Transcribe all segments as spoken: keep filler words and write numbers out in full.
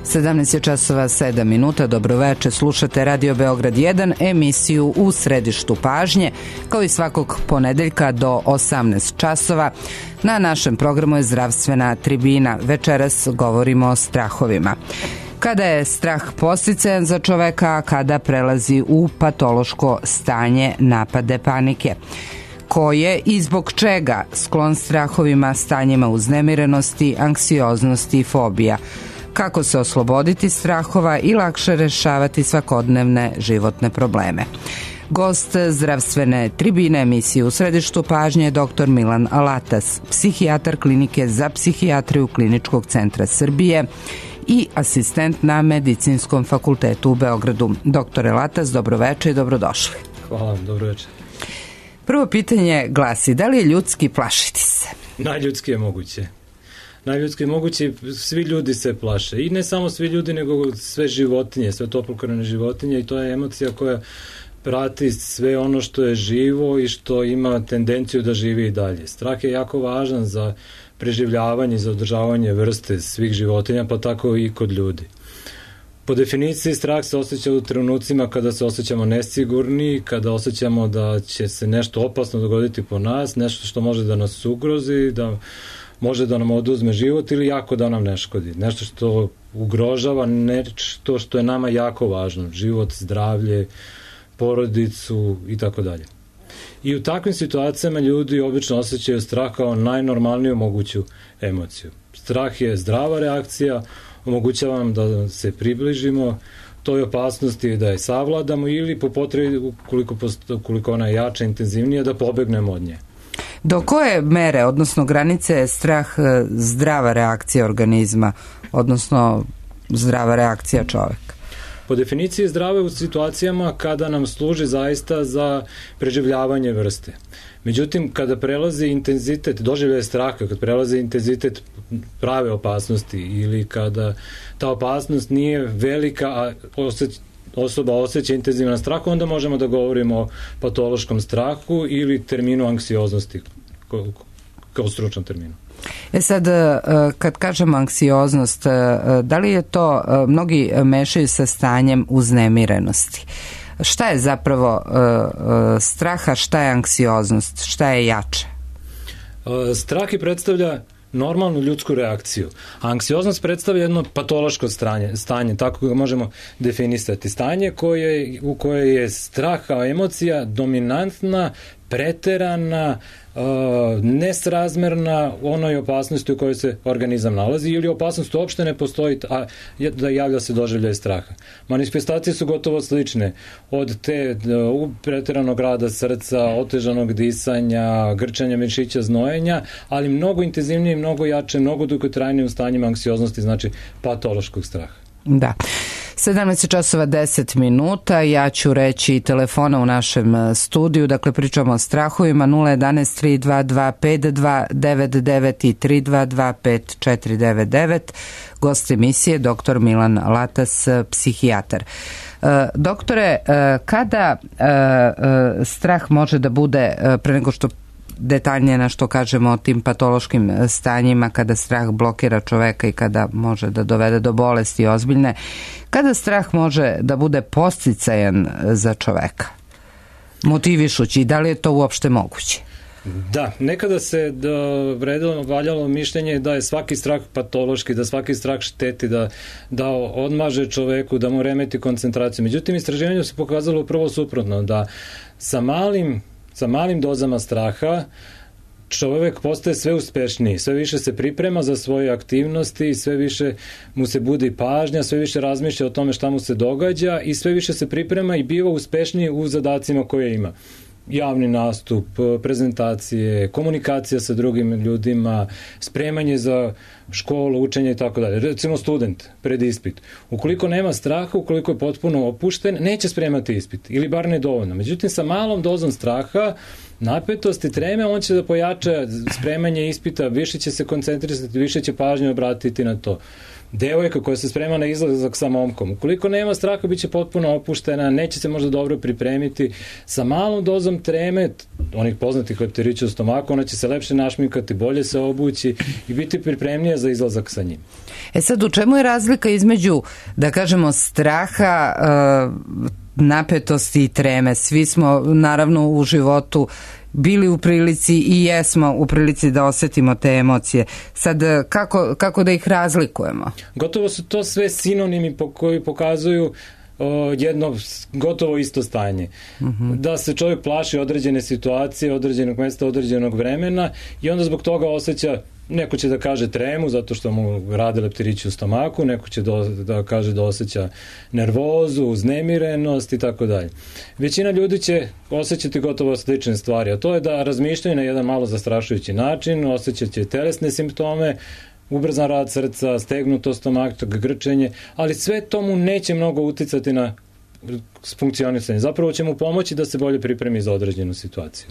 sedamnaest je časova sedam minuta, dobroveče, slušate Radio Beograd jedan, emisiju U središtu pažnje, kao i svakog ponedeljka do osamnaest časova. Na našem programu je zdravstvena tribina. Večeras govorimo o strahovima. Kada je strah podsticajan za čoveka, a kada prelazi u patološko stanje napade panike? Ko je i zbog čega sklon strahovima, stanjima uznemirenosti, anksioznosti i fobija? Kako se osloboditi strahova i lakše rešavati svakodnevne životne probleme? Gost zdravstvene tribine emisije U središtu pažnje je doktor Milan Latas, psihijatar klinike za psihijatriju Kliničkog centra Srbije i asistent na Medicinskom fakultetu u Beogradu. Doktore Latas, dobroveče i dobrodošli. Hvala vam, dobroveče. Prvo pitanje glasi, da li je ljudski plašiti se? Najljudski je moguće. Najljudski je moguće, svi ljudi se plaše. I ne samo svi ljudi, nego sve životinje, sve toplokrvne životinje, i to je emocija koja prati sve ono što je živo i što ima tendenciju da živi i dalje. Strah je jako važan za preživljavanje i za održavanje vrste svih životinja, pa tako i kod ljudi. Po definiciji, strah se osjeća u trenucima kada se osjećamo nesigurni, kada osjećamo da će se nešto opasno dogoditi po nas, nešto što može da nas ugrozi, da može da nam oduzme život ili jako da nam ne škodi. Nešto što ugrožava, nešto što je nama jako važno. Život, zdravlje, porodicu i tako dalje. I u takvim situacijama ljudi obično osjećaju strah kao najnormalniju moguću emociju. Strah je zdrava reakcija, omogućava nam da se približimo toj opasnosti, da je savladamo ili po potrebi, ukoliko, ukoliko ona je jača, intenzivnija, da pobegnemo od nje. Do koje mere, odnosno granice, je strah zdrava reakcija organizma, odnosno zdrava reakcija čoveka? Po definiciji zdrave u situacijama kada nam služi zaista za preživljavanje vrste. Međutim, kada prelazi intenzitet, doživljaje straha, kada prelazi intenzitet prave opasnosti ili kada ta opasnost nije velika, a osjeć, osoba osjeća intenzivan strah, onda možemo da govorimo o patološkom strahu ili terminu anksioznosti, kao stručnom terminu. E sad, kad kažemo anksioznost, da li je to, mnogi mešaju sa stanjem uznemirenosti? Šta je zapravo straha, šta je anksioznost, šta je jače? Strah i predstavlja normalnu ljudsku reakciju. A anksioznost predstavlja jedno patološko stanje, stanje, tako ga možemo definisati. Stanje koje, u koje je strah kao emocija dominantna, preterana, uh, nesrazmerna onoj opasnosti u kojoj se organizam nalazi ili opasnost uopšte ne postoji, a da javlja se doživljaj straha. Manifestacije su gotovo slične. Od te uh, preteranog rada srca, otežanog disanja, grčanja mišića, znojenja, ali mnogo intenzivnije, mnogo jače, mnogo dugotrajnije u stanjima anksioznosti, znači patološkog straha. Da. sedamnaest časova deset minuta, ja ću reći telefona u našem studiju, dakle pričamo o strahovima, nula jedanaest tri dva dva pet dva devet devet i tri dva dva pet četiri devet devet. Gost emisije doktor Milan Latas, psihijatar. Doktore, kada strah može da bude, pre nego što detaljnije na što kažemo o tim patološkim stanjima, kada strah blokira čoveka i kada može da dovede do bolesti ozbiljne, kada strah može da bude podsticajan za čoveka, motivišući, i da li je to uopšte moguće? Da, nekada se da vredilo, valjalo mišljenje da je svaki strah patološki, da svaki strah šteti, da, da odmaže čoveku, da mu remeti koncentraciju. Međutim, istraživanje se pokazalo upravo suprotno, da sa malim Sa malim dozama straha čovek postaje sve uspešniji, sve više se priprema za svoje aktivnosti, sve više mu se budi pažnja, sve više razmišlja o tome šta mu se događa i sve više se priprema i biva uspešniji u zadacima koje ima. Javni nastup, prezentacije, komunikacija sa drugim ljudima, spremanje za školu, učenje i tako dalje. Recimo student pred ispit. Ukoliko nema straha, ukoliko je potpuno opušten, neće spremati ispit ili bar ne dovoljno. Međutim, sa malom dozom straha napetosti, treme, on će da pojača spremanje ispita, više će se koncentrisati, više će pažnje obratiti na to. Devojka koja se sprema na izlazak sa momkom, ukoliko nema straha, bit će potpuno opuštena, neće se možda dobro pripremiti, sa malom dozom treme, onih poznatih leptirića u stomaku, ona će se lepše našminkati, bolje se obući i biti pripremnija za izlazak sa njim. E sad, u čemu je razlika između, da kažemo, straha, napetosti i treme? Svi smo, naravno, u životu bili u prilici i jesmo u prilici da osetimo te emocije. Sad, kako, kako da ih razlikujemo? Gotovo su to sve sinonimi po koji pokazuju o, jedno gotovo isto stanje. Uh-huh. Da se čovjek plaši određene situacije, određenog mesta, određenog vremena i onda zbog toga osjeća, neko će da kaže tremu zato što mu rade leptirići u stomaku, neko će do, da kaže da osjeća nervozu, uznemirenost i tako dalje. Većina ljudi će osjećati gotovo slične stvari, a to je da razmišljaju na jedan malo zastrašujući način, osjećat će telesne simptome, ubrzan rad srca, stegnuto stomaka, grčenje, ali sve to mu neće mnogo uticati na funkcionisanje. Zapravo će mu pomoći da se bolje pripremi za određenu situaciju.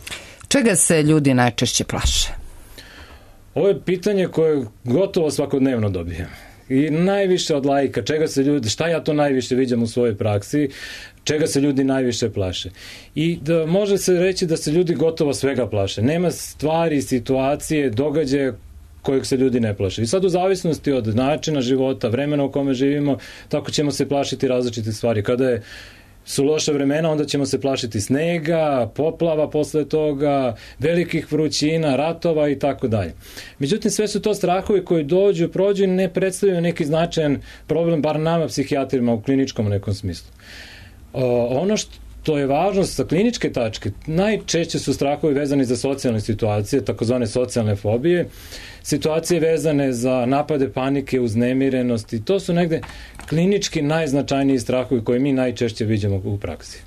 Čega se ljudi najčešće plaše? Ovo je pitanje koje gotovo svakodnevno dobijem. I najviše od laika, čega se ljudi, šta ja to najviše viđam u svojoj praksi, čega se ljudi najviše plaše. I da može se reći da se ljudi gotovo svega plaše. Nema stvari, situacije, događaje kojeg se ljudi ne plaše. I sad u zavisnosti od načina života, vremena u kome živimo, tako ćemo se plašiti različite stvari. Kada je su loša vremena, onda ćemo se plašiti snega, poplava posle toga, velikih vrućina, ratova i tako dalje. Međutim, sve su to strahovi koji dođu, prođu i ne predstavljaju neki značajan problem, bar nama psihijatrima u kliničkom nekom smislu. O, ono što to je važno sa kliničke tačke, najčešće su strahovi vezani za socijalne situacije, takozvane socijalne fobije, situacije vezane za napade panike, uznemirenosti, to su negde klinički najznačajniji strahovi koje mi najčešće vidimo u praksi.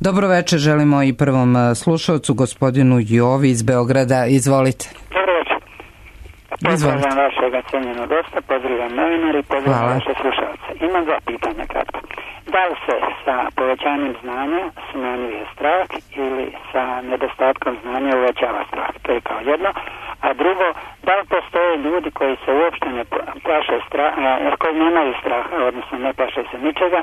Dobro večer, želimo i prvom slušalcu, gospodinu Jovi iz Beograda. Izvolite. Dobro večer. Pozdravljam vašeg cenjenog gosta, pozdravljam novinari, pozdravljam vaše slušalce. Imam dva pitanja kratko. Da li se sa povećanjem znanja smanjuje strah ili sa nedostatkom znanja uvećava strah? To je kao jedno. A drugo, da li postoje ljudi koji se uopšte ne plaše straha, jer koji nemaju straha, odnosno ne plaše se ničega,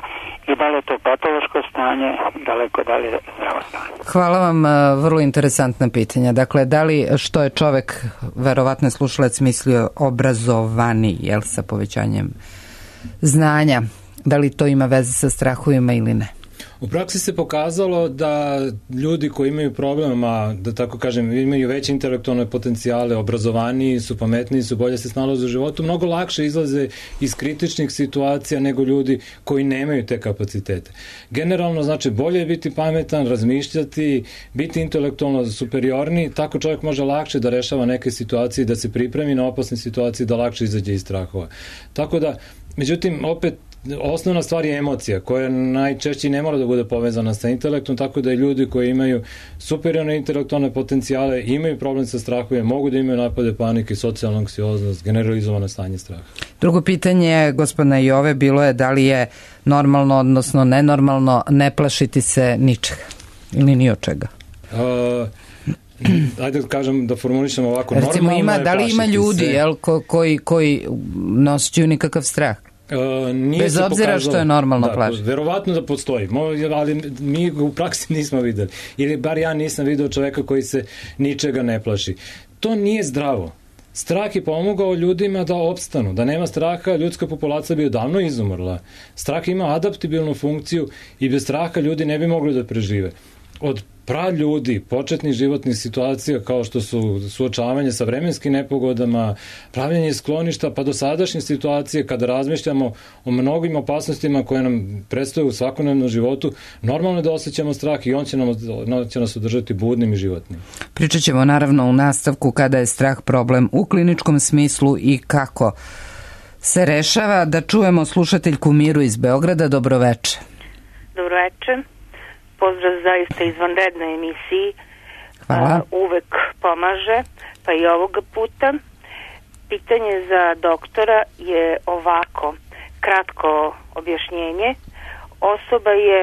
i da li je to patološko stanje, daleko da li je zdravo stanje? Hvala vam, vrlo interesantna pitanja. Dakle, da li što je čovek, verovatno slušalac, mislio obrazovani, jel, sa povećanjem znanja, da li to ima veze sa strahovima ili ne? U praksi se pokazalo da ljudi koji imaju problema, da tako kažem, imaju veće intelektualne potencijale, obrazovaniji su, pametniji su, bolje se snalaze u životu, mnogo lakše izlaze iz kritičnih situacija nego ljudi koji nemaju te kapacitete. Generalno, znači, bolje je biti pametan, razmišljati, biti intelektualno superiorni, tako čovjek može lakše da rešava neke situacije, da se pripremi na opasne situacije, da lakše izađe iz strahova. Tako da, međutim, opet, osnovna stvar je emocija, koja najčešće ne mora da bude povezana sa intelektom, tako da i ljudi koji imaju superiorne intelektualne potencijale, imaju problem sa strahovima, mogu da imaju napade panike, socijalna anksioznost, generalizovano stanje straha. Drugo pitanje gospodina Jove bilo je da li je normalno, odnosno nenormalno ne plašiti se ničega ili ni od čega? Uh, ajde da kažem, da formulišemo ovako. Recimo, ima, da li ima ljudi jel, ko, koji, koji noseću nikakav strah? Uh, nije Bez obzira pokazalo, što je normalno da, plašiti. Verovatno da postoji, ali mi u praksi nismo videli. Ili bar ja nisam video čoveka koji se ničega ne plaši. To nije zdravo. Strah je pomogao ljudima da opstanu. Da nema straha, ljudska populacija bi odavno izumrla. Strah ima adaptibilnu funkciju i bez straha ljudi ne bi mogli da prežive. Od praljudi, početnih životnih situacija kao što su suočavanje sa vremenskim nepogodama, pravljenje skloništa, pa do sadašnje situacije kada razmišljamo o mnogim opasnostima koje nam predstavljaju u svakodnevnom životu, normalno je da osjećamo strah i on će, nam, on će nas održati budnim i životnim. Pričat ćemo naravno u nastavku kada je strah problem u kliničkom smislu i kako se rešava. Da čujemo slušateljku Miru iz Beograda. Dobroveče. Dobroveče. Pozdrav zaista izvanrednoj emisiji. Hvala. Uh, uvek pomaže, pa i ovoga puta. Pitanje za doktora je ovako, kratko objašnjenje. Osoba je,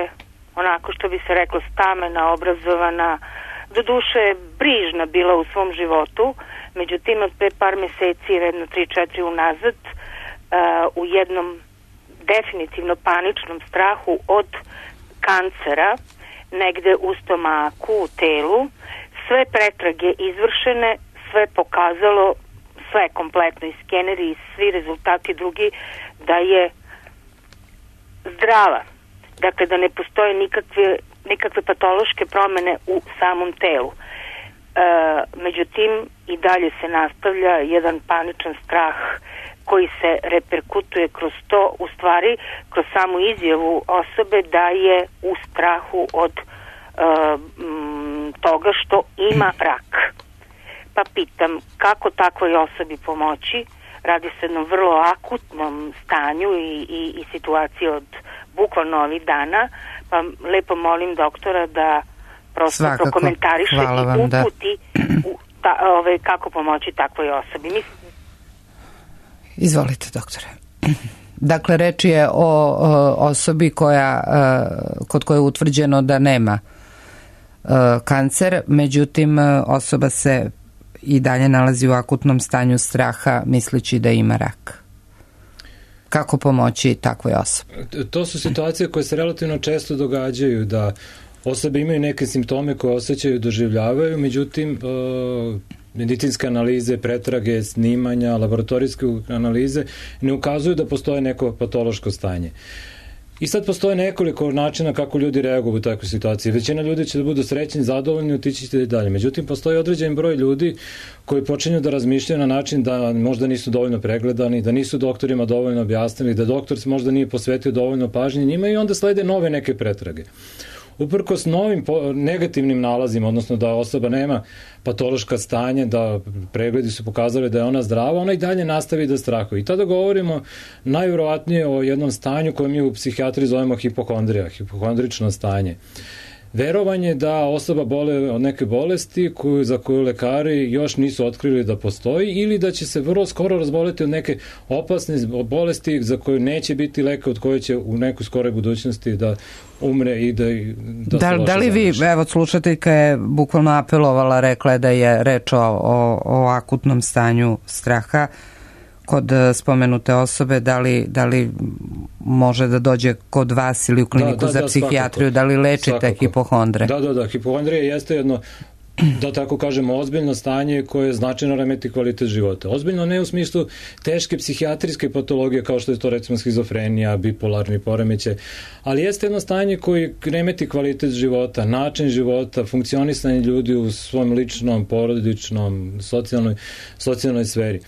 onako što bi se reklo, stamena, obrazovana, do duše brižna bila u svom životu, međutim od pre par meseci, jedno tri četiri unazad, uh, u jednom definitivno paničnom strahu od kancera, negde u stomaku, u telu, sve pretrage izvršene, sve pokazalo, sve kompletno i skeneri i svi rezultati drugi, da je zdrava. Dakle, da ne postoje nikakve, nikakve patološke promene u samom telu. E, međutim, i dalje se nastavlja jedan paničan strah koji se reperkutuje kroz to, u stvari, kroz samu izjavu osobe da je u strahu od e, m, toga što ima rak. Pa pitam, kako takvoj osobi pomoći? Radi se o jednom vrlo akutnom stanju i, i, i situaciji od bukvalno ovih dana, pa lepo molim doktora da prosto Svakako. prokomentariše Hvala i vam, da. uputi u ta, ove, kako pomoći takvoj osobi. Mislim... Izvolite, doktore. Dakle, reč je o, o osobi koja, kod koje je utvrđeno da nema kancer, međutim osoba se i dalje nalazi u akutnom stanju straha misleći da ima rak. Kako pomoći takvoj osobi? To su situacije koje se relativno često događaju, da osobe imaju neke simptome koje osjećaju, doživljavaju, međutim medicinske analize, pretrage, snimanja, laboratorijske analize ne ukazuju da postoje neko patološko stanje. I sad postoje nekoliko načina kako ljudi reaguju u takvoj situaciji. Većina ljudi će da budu srećni, zadovoljni, otići ćete dalje. Međutim, postoji određen broj ljudi koji počinju da razmišljaju na način da možda nisu dovoljno pregledani, da nisu doktorima dovoljno objasnili, da doktor se možda nije posvetio dovoljno pažnje njima i onda slede nove neke pretrage. Uprkos novim negativnim nalazima, odnosno da osoba nema patološka stanja, da pregledi su pokazali da je ona zdrava, ona i dalje nastavi da strahuje. I tada govorimo najvjerovatnije o jednom stanju koje mi u psihijatriji zovemo hipohondrija, hipohondrično stanje. Verovanje da osoba bole od neke bolesti koju, za koju lekari još nisu otkrili da postoji ili da će se vrlo skoro razboleti od neke opasne bolesti za koju neće biti leka, od koje će u nekoj skoroj budućnosti da umre i da, da, da, da li vi, evo slušateljka je bukvalno apelovala, rekla je da je reč o, o, o akutnom stanju straha kod spomenute osobe, da li, da li može da dođe kod vas ili u kliniku da, da, za psihijatriju, svakako, da li lečite svakako. hipohondre? Da, da, da, hipohondrija jeste jedno, da tako kažemo, ozbiljno stanje koje značajno remeti kvalitet života. Ozbiljno ne u smislu teške psihijatrijske patologije kao što je to recimo schizofrenija, bipolarni poremećaj, ali jeste jedno stanje koje remeti kvalitet života, način života, funkcionisanje ljudi u svom ličnom, porodičnom, socijalnoj, socijalnoj sferi.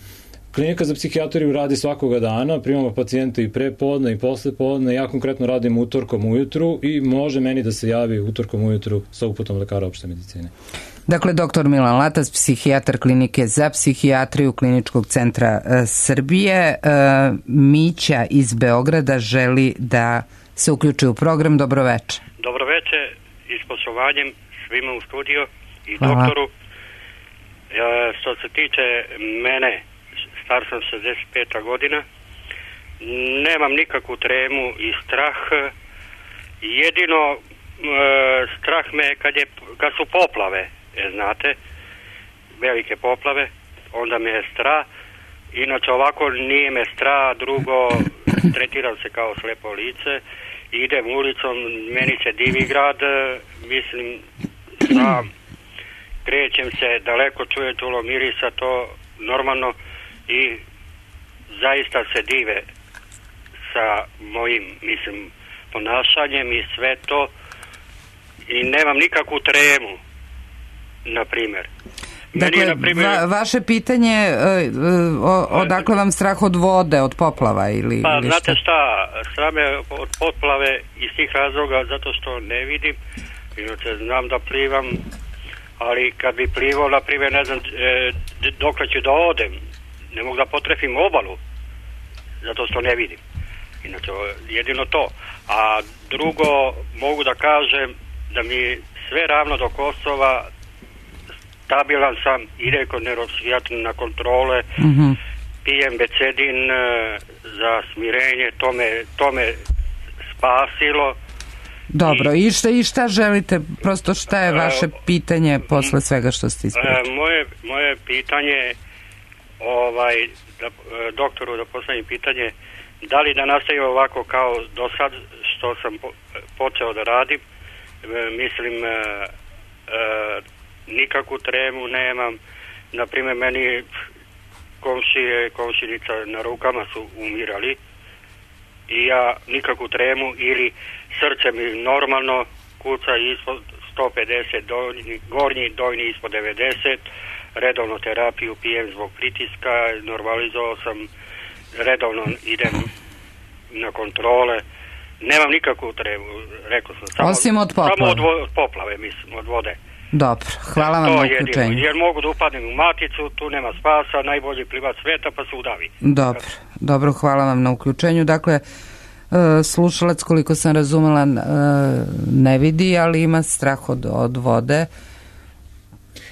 Klinika za psihijatriju radi svakoga dana, primamo pacijente i pre podne i posle podne, ja konkretno radim utorkom ujutru i može meni da se javi utorkom ujutru sa uputom lekara opšte medicine. Dakle, doktor Milan Latac, psihijatar klinike za psihijatriju Kliničkog centra e, Srbije. E, Mića iz Beograda želi da se uključi u program. Dobroveče. Dobroveče i s poštovanjem svima u studiju i Hvala. doktoru. E, što se tiče mene, star sam šezdeset peta godina, nemam nikakvu tremu i strah, jedino e, strah me kad, je, kad su poplave, e, znate, velike poplave, onda me je strah, inače ovako nije me strah, drugo tretiram se kao slepo lice, idem ulicom, meni se divi grad, mislim, sam, krećem se, daleko čujem čulo mirisa, to normalno, i zaista se dive sa mojim, mislim, ponašanjem i sve to i nemam nikakvu tremu, na primjer. Dakle, na primjer, va, vaše pitanje, uh, o, odakle vam strah od vode, od poplava ili, pa, ili znate šta, strah me od poplave iz tih razloga zato što ne vidim, inače znam da plivam, ali kad bi plivao, na primjer, ne znam e, dokle ću da odem, ne mogu da potrefim obalu, zato što ne vidim. Inače, jedino to. A drugo, mogu da kažem da mi sve ravno do Kosova, stabilan sam, ide kod neuropsihijatra na kontrole, mm-hmm. pijem becedin za smirenje, to me, to me spasilo. Dobro, i šta, i šta želite, prosto šta je vaše pitanje posle svega što ste ispričali? Moje, moje pitanje, ovaj, da, doktoru da postavim pitanje, da li da nastavim ovako kao do sad što sam po, počeo da radim, e, mislim, e, e, nikakvu tremu nemam, naprimjer meni komšije, komšinica na rukama su umirali i ja nikakvu tremu ili srce mi normalno kuca ispod sto pedeset, donji, gornji, donji ispod devedeset, redovno terapiju pijem zbog pritiska, normalizovao sam, redovno idem na kontrole, nemam nikakvu tremu, rekao sam. Samo, Osim od poplave? Samo od, od poplave, mislim, od vode. Dobro, hvala vam na uključenju. Jer mogu da upadnem u maticu, tu nema spasa, najbolji plivač sveta, pa se udavi. Dobro, dobro, hvala vam na uključenju. Dakle, slušalac, koliko sam razumela, ne vidi, ali ima strah od, od vode.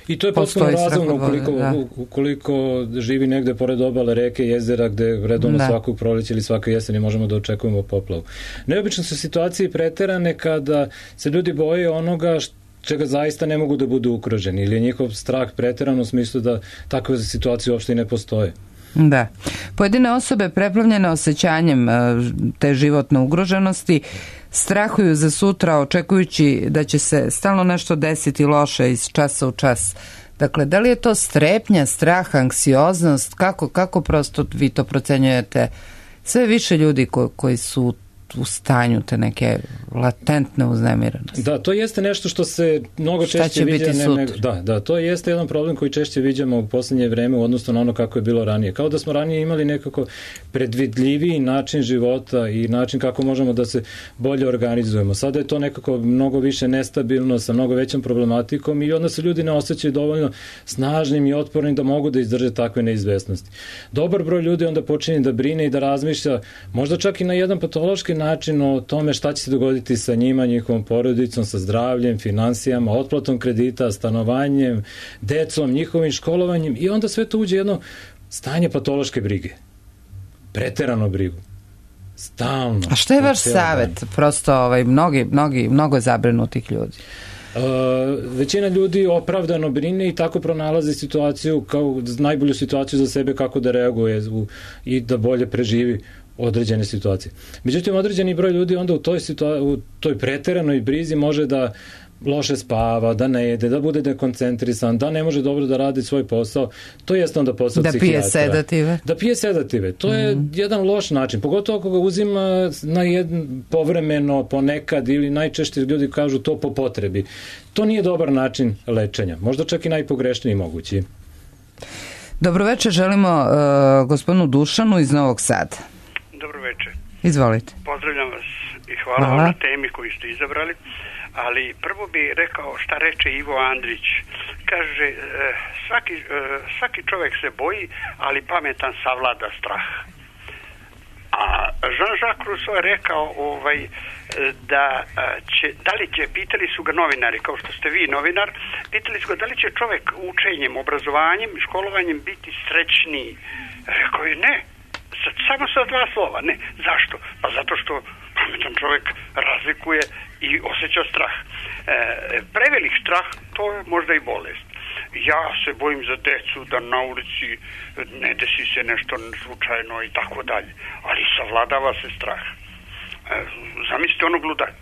I to je potpuno razumno ukoliko, da. ukoliko živi negde pored obale reke, jezera, gde redovno da. svakog proleća ili svake jeseni možemo da očekujemo poplavu. Neobično su situacije preterane kada se ljudi boje onoga što čega zaista ne mogu da budu ugroženi ili je njihov strah preteran u smislu da takve situacije uopšte i ne postoje. Da. Pojedine osobe preplavljene osjećanjem te životne ugroženosti strahuju za sutra očekujući da će se stalno nešto desiti loše iz časa u čas. Dakle, da li je to strepnja, strah, anksioznost? Kako, kako prosto vi to procenjujete? Sve više ljudi ko, koji su u stanju te neke latentne uznemirenosti. Da, to jeste nešto što se mnogo češće viđa. Ne, ne, da, da, to jeste jedan problem koji češće viđamo u poslednje vreme u odnosu na ono kako je bilo ranije. Kao da smo ranije imali nekako predvidljiviji način života i način kako možemo da se bolje organizujemo. Sada je to nekako mnogo više nestabilno, sa mnogo većom problematikom i onda se ljudi ne osjećaju dovoljno snažnim i otpornim da mogu da izdrže takve neizvesnosti. Dobar broj ljudi onda počinje da brine i da razmišlja, možda čak i na jedan patološki način o tome šta će se dogoditi sa njima, njihovom porodicom, sa zdravljem, finansijama, otplatom kredita, stanovanjem, decom, njihovim školovanjem i onda sve to uđe jedno stanje patološke brige. Preterano brigu. Stalno. A šta je vaš savjet? Prosto ovaj, mnogi, mnogi, mnogo zabrinutih ljudi. Uh, većina ljudi opravdano brine i tako pronalazi situaciju kao najbolju situaciju za sebe kako da reaguje u, i da bolje preživi određene situacije. Međutim, određeni broj ljudi onda u toj, situa- u toj preteranoj brizi može da loše spava, da ne jede, da bude dekoncentrisan, da ne može dobro da radi svoj posao. To jeste onda posao da psihijatra. Da pije sedative. Da pije sedative. To je mm. jedan loš način. Pogotovo ako ga uzima na jedan povremeno, ponekad ili najčešće ljudi kažu to po potrebi. To nije dobar način lečenja. Možda čak i najpogrešniji mogući. Dobro večer, želimo uh, gospodinu Dušanu iz Novog Sada. Dobro večer. Izvolite. Pozdravljam vas i hvala, hvala vam na temi koju ste izabrali, ali prvo bi rekao šta reče Ivo Andrić. Kaže, svaki, svaki čovjek se boji, ali pametan savlada strah. A Jean-Jacques Rousseau je rekao ovaj, da će, da li će, pitali su ga novinari, kao što ste vi novinar, pitali su ga da li će čovjek učenjem, obrazovanjem, školovanjem biti srećniji. Rekao je ne. Samo sa dva slova, ne. Zašto? Pa zato što pametan čovjek razlikuje i osjeća strah. E, prevelik strah, to je možda i bolest. Ja se bojim za decu da na ulici ne desi se nešto slučajno i tako dalje. Ali savladava se strah. E, zamislite onog ludaka.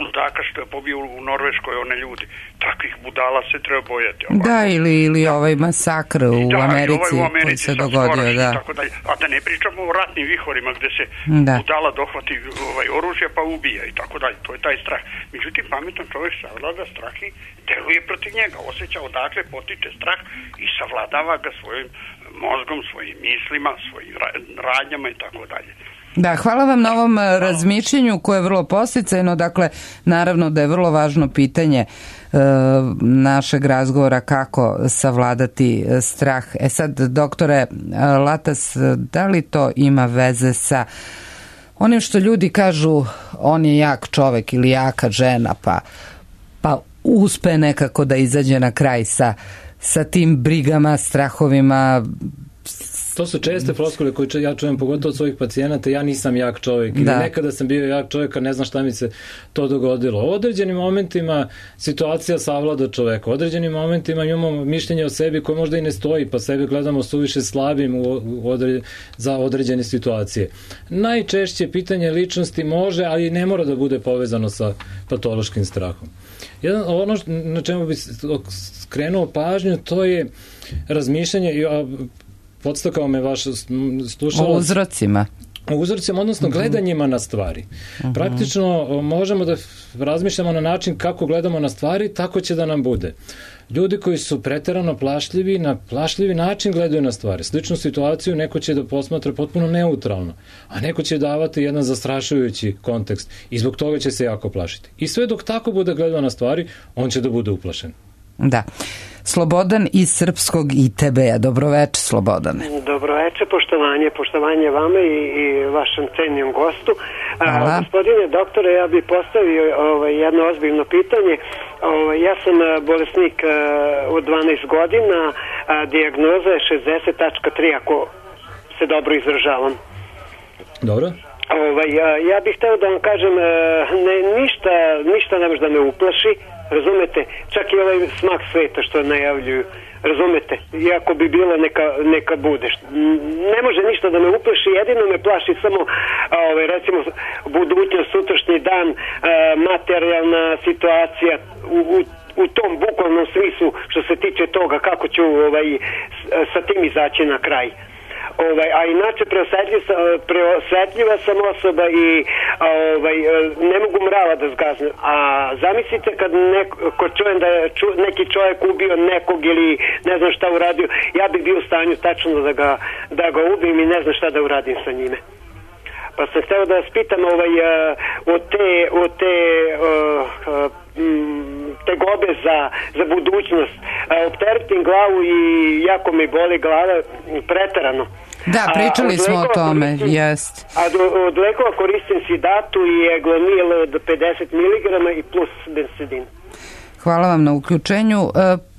ludaka što je pobio u Norveškoj one ljudi. Takvih budala se treba bojati. Ovako. Da, ili, ili da. ovaj masakr u da, Americi, ovaj u Americi koji se dogodio. Da. Tako da, a da ne pričamo o ratnim vihorima gde se da. budala dohvati ovaj, oružja pa ubija i tako dalje. To je taj strah. Međutim, pametan čovjek savlada strah i deluje protiv njega. Osjeća odakle potiče strah i savladava ga svojim mozgom, svojim mislima, svojim radnjama i tako dalje. Da, hvala vam na ovom razmišljenju koje je vrlo posticajno. Dakle, naravno da je vrlo važno pitanje e, našeg razgovora kako savladati strah. E sad, doktore Latas, da li to ima veze sa onim što ljudi kažu on je jak čovek ili jaka žena, pa, pa uspe nekako da izađe na kraj sa, sa tim brigama, strahovima, To su česte floskule koje ja čujem pogotovo od svojih pacijenata, ja nisam jak čovjek ili da. Nekada sam bio jak čovjek, a ne znam šta mi se to dogodilo. U određenim momentima situacija savlada čoveka, u određenim momentima imamo mišljenje o sebi koje možda i ne stoji, pa sebe gledamo suviše slabim u odre, za određene situacije. Najčešće pitanje ličnosti može, ali ne mora da bude povezano sa patološkim strahom. Jedan, ono na čemu bi skrenuo pažnju, to je razmišljanje i podstakao me vaš slušalac. O uzrocima. O uzrocima, odnosno gledanjima na stvari. Uh-huh. Praktično možemo da razmišljamo na način kako gledamo na stvari, tako će da nam bude. Ljudi koji su preterano plašljivi, na plašljivi način gledaju na stvari. Sličnu situaciju neko će da posmatra potpuno neutralno, a neko će davati jedan zastrašujući kontekst i zbog toga će se jako plašiti. I sve dok tako bude gledao na stvari, on će da bude uplašen. Da. Slobodan iz Srpskog I T B-a. Dobroveče, Slobodane. Dobroveče, poštovanje, poštovanje vama i, i vašem cenijom gostu. A, gospodine doktore, ja bih postavio ovaj, jedno ozbiljno pitanje. Ovaj, ja sam bolesnik a, od dvanaest godina, a, dijagnoza je šezdeset tri, ako se dobro izražavam. Dobro. Ovaj, a, ja bih hteo da vam kažem, a, ne, ništa, ništa ne može da me uplaši. Razumete, čak i ovaj smak sveta što najavljuju, razumete, iako bi bilo neka, neka bude. Ne može ništa da me uplaši, jedino me plaši samo ovaj, recimo budućnost, sutrašnji dan, materijalna situacija u, u, u tom bukvalnom smislu što se tiče toga kako ću ovaj, sa tim izaći na kraj. Ovaj, a inače preosetljiva, preosetljiva sam osoba i ovaj, ne mogu mrava da zgaznem. A zamislite kad neko čujem da je ču, neki čovjek ubio nekog ili ne znam šta uradio, ja bih bio u stanju tačno da ga, da ga ubim i ne znam šta da uradim sa njime. Pa sam htio da vas pitam ovaj, od te, od te uh, tegobe za, za budućnost. Opteretim glavu i jako mi boli glava preterano. Da, pričali smo o tome, jest. A od lekova koristim Sidatu i Eglonil od pedeset miligrama i plus bensedin. Hvala vam na uključenju.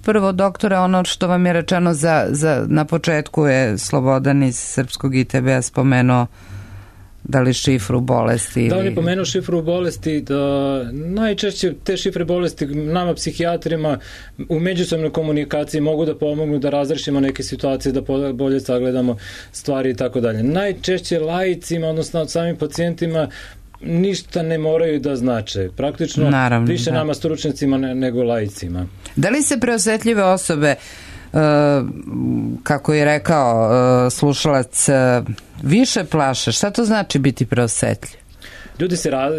Prvo, doktore, ono što vam je rečeno za, za, na početku je Slobodan iz Srpskog I T B-a spomenuo da li šifru bolesti? Ili... Da, on je pomenuo šifru bolesti, da najčešće te šifre bolesti nama psihijatrima u međusobnoj komunikaciji mogu da pomognu da razrešimo neke situacije, da bolje sagledamo stvari i tako dalje. Najčešće laicima, odnosno samim pacijentima, ništa ne moraju da znače. Praktično Naravno, više da. nama stručnicima nego laicima. Da li se preosetljive osobe, uh, kako je rekao uh, slušalac, uh, više plaše? Šta to znači biti preosetljiv? Ljudi se, ra,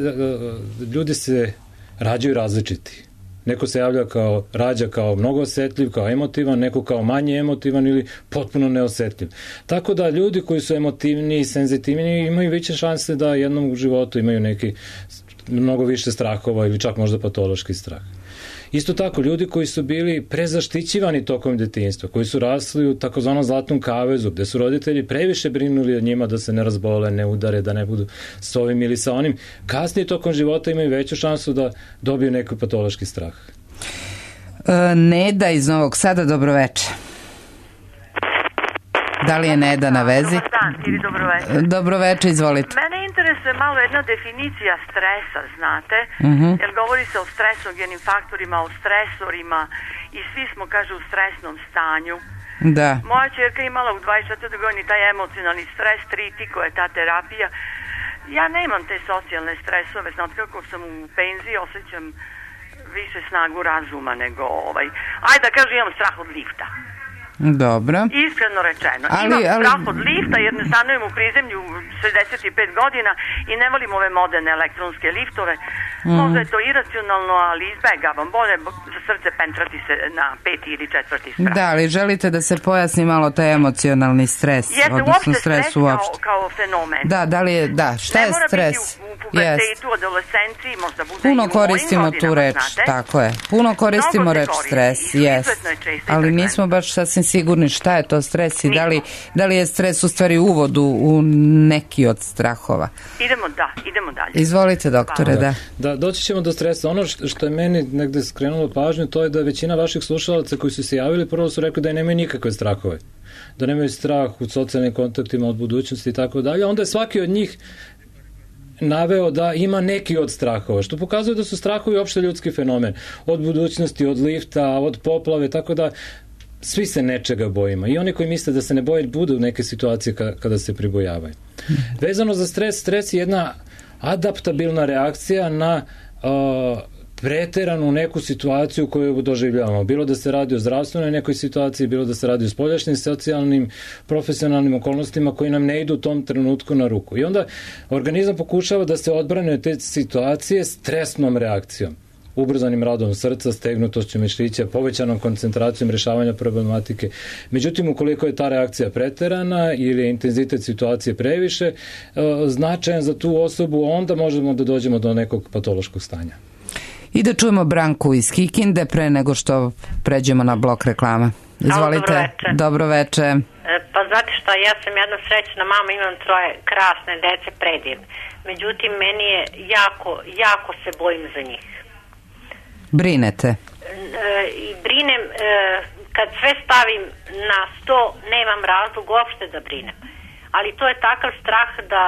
ljudi se rađaju različiti. Neko se javlja kao, rađa kao mnogo osetljiv, kao emotivan, neko kao manje emotivan ili potpuno neosetljiv. Tako da ljudi koji su emotivni i senzitivni imaju veće šanse da jednom u životu imaju neki mnogo više strahova ili čak možda patološki strah. Isto tako, ljudi koji su bili prezaštićivani tokom detinjstva, koji su rasli u takozvanom zlatnom kavezu, gde su roditelji previše brinuli od njima da se ne razbole, ne udare, da ne budu s ovim ili sa onim, kasnije tokom života imaju veću šansu da dobiju neki patološki strah. E, Neda iz Novog Sada, dobroveče. Da li je Neda na vezi? Dobar dan, ili dobroveče. Dobroveče, izvolite. Mene interesuje malo jedna definicija stresa, znate, uh-huh. jer govori se o stresogenim faktorima, o stresorima i svi smo, kaže, u stresnom stanju. Da. Moja ćerka imala u dvadeset četvrtoj godini taj emocionalni stres, tritiko je ta terapija. Ja nemam te socijalne stresove, znate kako sam u penziji, osjećam više snagu razuma nego ovaj. Ajde da kažem, imam strah od lifta. Dobro. Iskreno rečeno. Ali, Imam ali... strah od lifta jer ne stanujem u prizemlju šezdeset pet godina i ne volim ove moderne elektronske liftove. Mm. Možda je to iracionalno, ali izbegavam. Bolje za srce pentrati se na peti ili četvrti sprat. Da, ali želite da se pojasni malo taj emocionalni stres? Jeste, odnosno uopšte stres, stres uopšte. Kao, kao fenomen. Da, da li je, da, šta ne je stres? Ne mora biti u, u pubertetu, adolescenciji, možda bude puno i u koristimo mojim godinama, tu reč, znate. tako je. Puno koristimo Mnogo se reč koristi stres, i jes. izuzetno je česta i Ali frekventna. nismo baš sasvim sigurni šta je to stres i da li, da li je stres u stvari uvod u, u neki od strahova. Idemo, da, idemo dalje. Izvolite, doktore, da. Da, doći ćemo do stresa. Ono što, što je meni negde skrenulo pažnju, to je da većina vaših slušalaca koji su se javili, prvo su rekli da nemaju nikakve strahove. Da nemaju strah u socijalnim kontaktima, od budućnosti i tako dalje. Onda je svaki od njih naveo da ima neki od strahova, što pokazuje da su strahovi opšte ljudski fenomen. Od budućnosti, od lifta, od poplave, tako da svi se nečega bojimo. I oni koji misle da se ne boje, budu neke situacije kada se pribojavaju. Vezano za stres, stres je jedna adaptabilna reakcija na uh, preteranu neku situaciju koju doživljavamo. Bilo da se radi o zdravstvenoj nekoj situaciji, bilo da se radi o spoljašnjim, socijalnim, profesionalnim okolnostima koji nam ne idu u tom trenutku na ruku. I onda organizam pokušava da se odbrane od te situacije stresnom reakcijom. Ubrzanim radom srca, stegnutošću mišića, povećanom koncentracijom rešavanja problematike. Međutim, ukoliko je ta reakcija preterana ili je intenzitet situacije previše značajan za tu osobu, onda možemo da dođemo do nekog patološkog stanja. I da čujemo Branku iz Kikinde pre nego što pređemo na blok reklama. Izvolite. Dobro veče. Dobro veče. Pa znate šta, ja sam jedna srećna mama, imam troje krasne dece, predivne. Međutim, meni je jako, jako se bojim za njih. Brinete? E, I brinem, e, kad sve stavim na sto, nemam razlog uopšte da brinem. Ali to je takav strah da...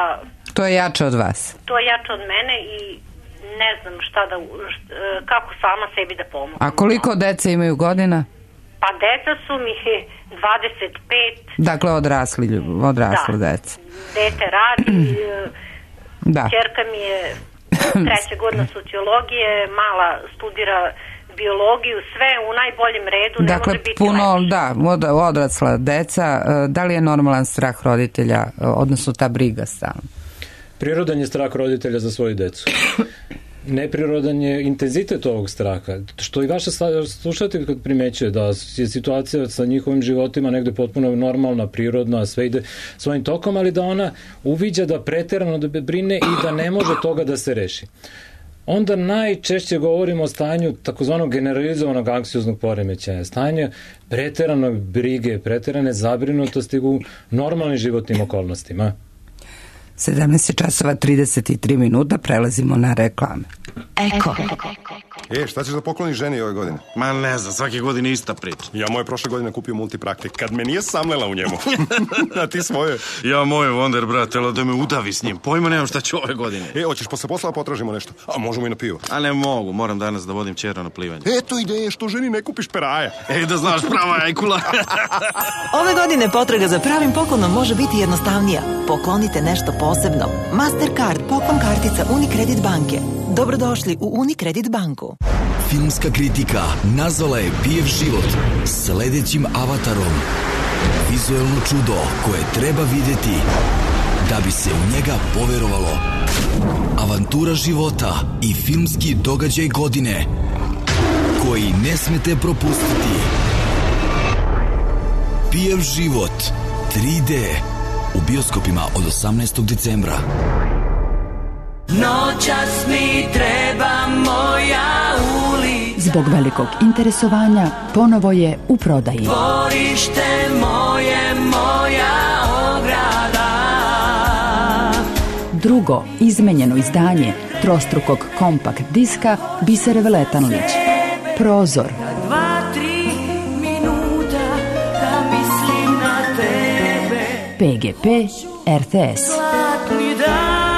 To je jače od vas? To je jače od mene i ne znam šta da, šta, kako sama sebi da pomogu. A koliko dece imaju godina? Pa deca su mi dvadeset pet. Dakle, odrasli, odrasli da. deca. Dete radi, da. Čerka mi je treća godina sociologije, mala studira biologiju, sve u najboljem redu, ne dakle, može biti puno, lepše. Da, od, odrasla deca. Da li je normalan strah roditelja, odnosno ta briga stalno? Prirodan je strah roditelja za svoju decu. Neprirodan je intenzitet ovog straha, što i vaša slušatelj kad primećuje da je situacija sa njihovim životima negde potpuno normalna, prirodna, sve ide svojim tokom, ali da ona uviđa da preterano da brine i da ne može toga da se reši. Onda najčešće govorimo o stanju takozvanog generalizovanog anksioznog poremećaja, stanje preteranog brige, preterane zabrinutosti u normalnim životnim okolnostima. sedamnaest časova trideset tri minuta, prelazimo na reklame. Eko. E, šta ćeš da pokloniš ženi ove godine? Ma ne znam, svake godine ista priča. Ja moje prošle godine kupio multipraktik, kad me nije samlela u njemu. A ti svoje? Ja moje Wonder, brate, ali da me udavi s njim. Pojma nemam šta ću ove godine. E, hoćeš posle posla potražimo nešto? A možemo i na pivo. A ne mogu, moram danas da vodim ćera na plivanje. Eto ideje, što ženi ne kupiš peraja. Ej, da znaš, prava ajkula. Ove godine potraga za pravim poklonom može biti jednostavnija. Poklonite nešto posebno. Mastercard, poklon kartica Unicredit banke. Dobrodošli u Unicredit banku. Filmska kritika nazvala je Pijev život sledećim avatarom. Vizuelno čudo koje treba videti da bi se u njega poverovalo. Avantura života i filmski događaj godine koji ne smete propustiti. Pijev život tri D u bioskopima od osamnaestog decembra. Noćas mi treba moja ulica. Zbog velikog interesovanja ponovo je u prodaji. Dvorište moje, moja ograda. Drugo izmenjeno izdanje trostrukog kompakt diska Bisere Veletanlić. Prozor. Dva, tri minuta da mislim na tebe. P G P R T S. Zlatni dan.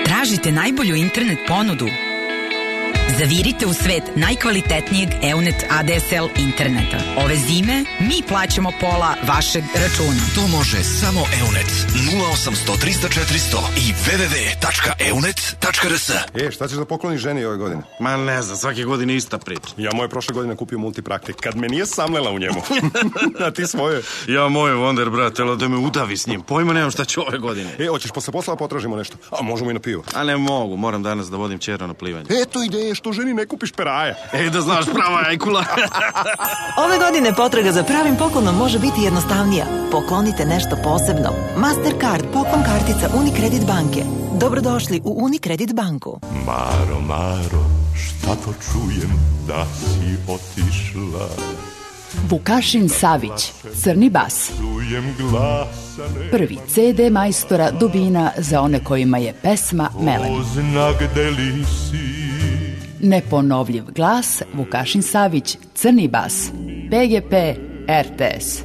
Tražite najbolju internet ponudu? Zavirite u svet najkvalitetnijeg Eunet A D S L interneta. Ove zime mi plaćamo pola vašeg računa. To može samo Eunet. nula osamsto trista četiristo i w w w tačka eunet tačka r s. E, šta ćeš da pokloniš ženi ove godine? Ma ne znam, svake godine ista priča. Ja moje prošle godine kupio multipraktik, kad me nije samlela u njemu. A ti svoje? Ja moje Wonder, brate, ali da me udavi s njim. Pojma nemam šta ću ove godine. E, hoćeš posle posla potražimo nešto? A možemo i na pivo. A ne mogu, moram danas da vodim ćera na plivanje. Eto ideje, što ženi ne kupiš peraja. E, da znaš, prava ajkula. Ove godine potraga za pravim poklonom može biti jednostavnija. Poklonite nešto posebno. Mastercard poklon kartica Unicredit banke. Dobrodošli u Unicredit banku. Maro, Maro, šta to čujem da si otišla? Vukašin Savić, Crni bas. Čujem glasane. Prvi ce de majstora Dubina za one kojima je pesma melem. Oznak deli si. Neponovljiv glas, Vukašin Savić, Crni bas. pe ge pe er te es.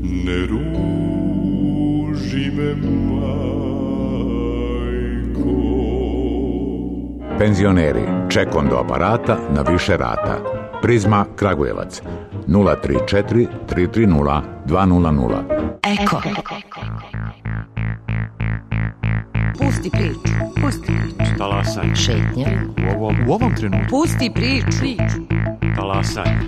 Ne ruži me, majko. Penzioneri, ček do aparata na više rata. Prizma Kragujevac nula tri četiri tri tri nula dva nula nula. Eko. Pusti priču, pusti priču. Talasaj. Šetnja. U ovom, u ovom trenutku. Pusti priču. Talasaj.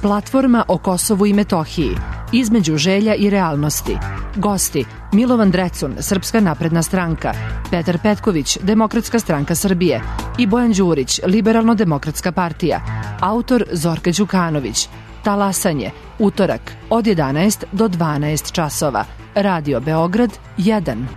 Platforma o Kosovu i Metohiji. Između želja i realnosti. Gosti: Milovan Drecun, Srpska napredna stranka, Petar Petković, Demokratska stranka Srbije i Bojan Đurić, Liberalno-demokratska partija. Autor Zorka Đukanović. Talasanje, utorak, od jedanaest do dvanaest časova. Radio Beograd jedan.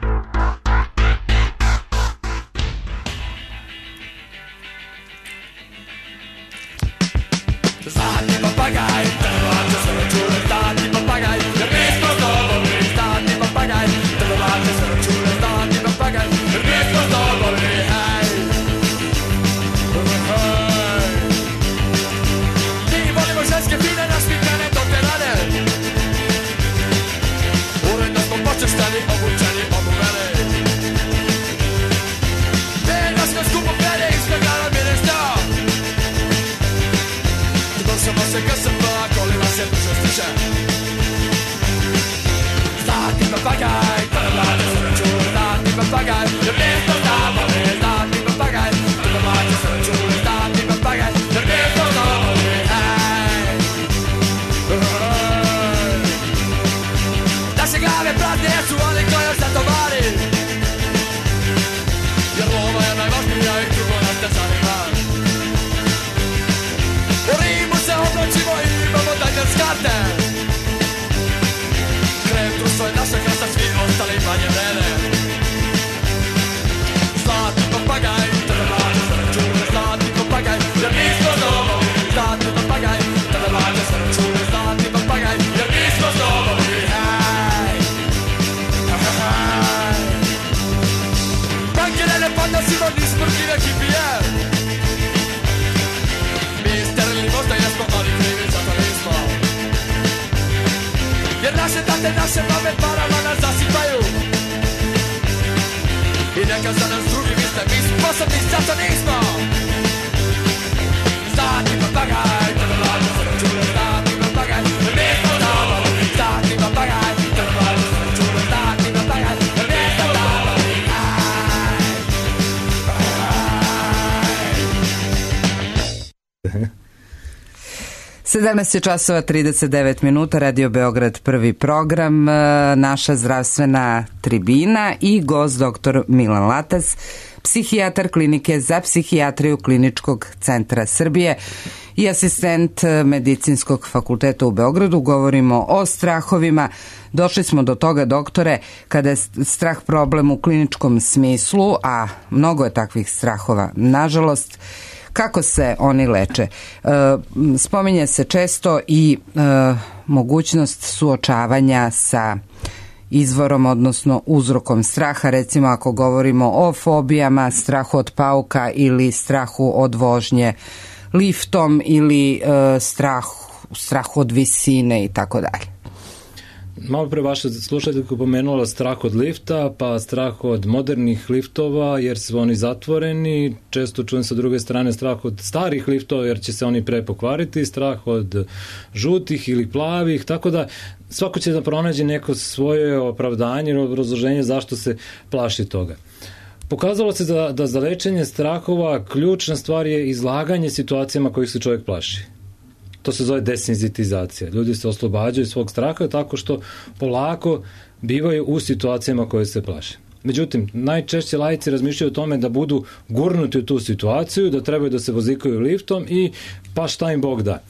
sedamnaest časova trideset devet minuta, Radio Beograd, prvi program, naša zdravstvena tribina i gost doktor Milan Latas, psihijatar klinike za psihijatriju Kliničkog centra Srbije i asistent Medicinskog fakulteta u Beogradu. Govorimo o strahovima. Došli smo do toga, doktore, kada je strah problem u kliničkom smislu, a mnogo je takvih strahova, nažalost. Kako se oni leče? E, spominje se često i e, mogućnost suočavanja sa izvorom, odnosno uzrokom straha. Recimo ako govorimo o fobijama, strahu od pauka ili strahu od vožnje liftom ili e, strahu, strahu od visine i tako dalje. Malo pre vaša slušateljka pomenula strah od lifta, pa strah od modernih liftova jer su oni zatvoreni, često čujem sa druge strane strah od starih liftova jer će se oni pre pokvariti, strah od žutih ili plavih, tako da svako će da pronađe neko svoje opravdanje ili obrazloženje zašto se plaši toga. Pokazalo se da, da za lečenje strahova ključna stvar je izlaganje situacijama kojih se čovjek plaši. To se zove desenzitizacija. Ljudi se oslobađaju svog straha tako što polako bivaju u situacijama koje se plaše. Međutim, najčešće laici razmišljaju o tome da budu gurnuti u tu situaciju, da trebaju da se vozikaju liftom i pa šta im Bog da.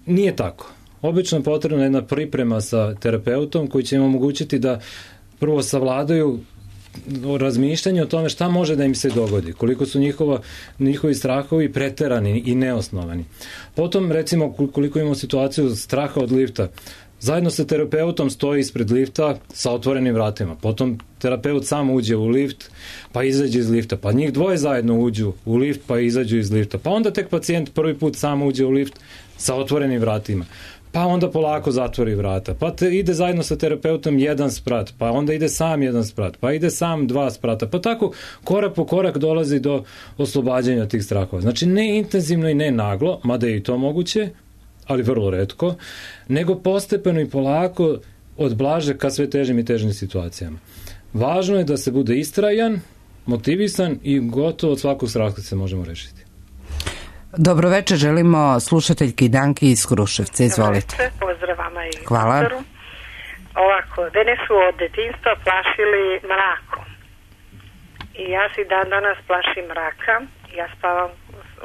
Nije tako. Obično je potrebna jedna priprema sa terapeutom koji će im omogućiti da prvo savladaju razmišljanje o tome šta može da im se dogodi, koliko su njihova, njihovi strahovi preterani i neosnovani. Potom, recimo, koliko imamo situaciju straha od lifta, zajedno sa terapeutom stoji ispred lifta sa otvorenim vratima. Potom terapeut sam uđe u lift, pa izađe iz lifta. Pa njih dvoje zajedno uđu u lift, pa izađu iz lifta. Pa onda tek pacijent prvi put sam uđe u lift sa otvorenim vratima. Pa onda polako zatvori vrata. Pa te ide zajedno sa terapeutom jedan sprat. Pa onda ide sam jedan sprat. Pa ide sam dva sprata. Pa tako korak po korak dolazi do oslobađanja tih strahova. Znači ne intenzivno i ne naglo, mada je i to moguće, ali vrlo retko, nego postepeno i polako od blaže ka sve težim i težim situacijama. Važno je da se bude istrajan, motivisan i gotovo od svakog straha se možemo rešiti. Dobro večer, želimo slušateljki Danki iz Kruševca. Izvolite. Pozdrav vama i Hvala. doktoru. Ovako, mene su od detinjstva plašili mrakom. I ja si dan danas plašim mraka. Ja spavam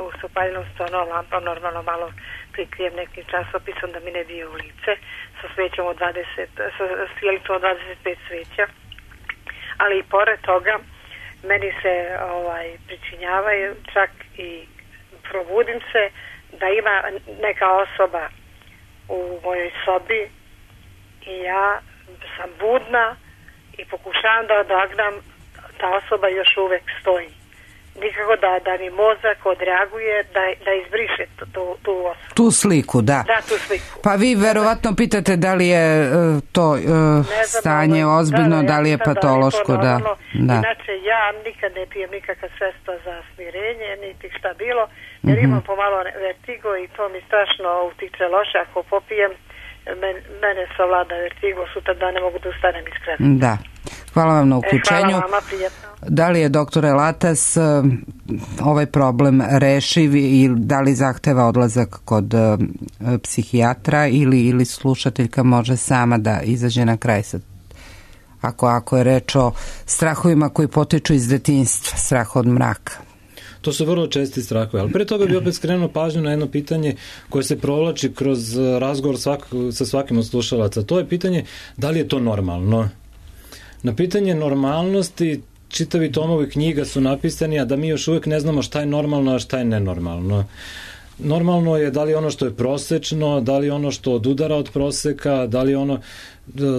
u sopaljenom stonu lampom, normalno malo prikrijem nekim časopisom da mi ne bije u lice, sa svećom od dvadeset, sa sjelicom od dvadeset pet sveća. Ali i pored toga, meni se ovaj, pričinjavaju čak i probudim se da ima neka osoba u mojoj sobi i ja sam budna i pokušavam da odagnam, ta osoba još uvek stoji. Nikako da, da mi mozak odreaguje da, da izbriše tu, tu, tu osobu. Tu sliku, da. Da, tu sliku. Pa vi verovatno pitate da li je uh, to uh, stanje ozbiljno, da, da, da li je patološko, da. da. Inače, ja nikad ne pijem nikakva sredstva za smirenje, niti šta bilo, jer mm-hmm. imam pomalo vertigo i to mi strašno utiče loše. Ako popijem, men, mene savlada vertigo, sutra da ne mogu da ustanem iz kreveta. Da. Hvala vam na uključenju. E, hvala vama, prijetno. Da li je, doktore Latas, ovaj problem rešiv i da li zahteva odlazak kod uh, psihijatra ili, ili slušateljka može sama da izađe na kraj sa ako, ako je reč o strahovima koji potiču iz detinjstva, strah od mraka? To su vrlo česti strahovi, ali pre toga bi opet skrenuo pažnju na jedno pitanje koje se provlači kroz razgovor svak, sa svakim od slušalaca. To je pitanje da li je to normalno. Na pitanje normalnosti čitavi tomovi knjiga su napisani, a da mi još uvijek ne znamo šta je normalno, a šta je nenormalno. Normalno je da li ono što je prosečno, da li ono što odudara od proseka, da li ono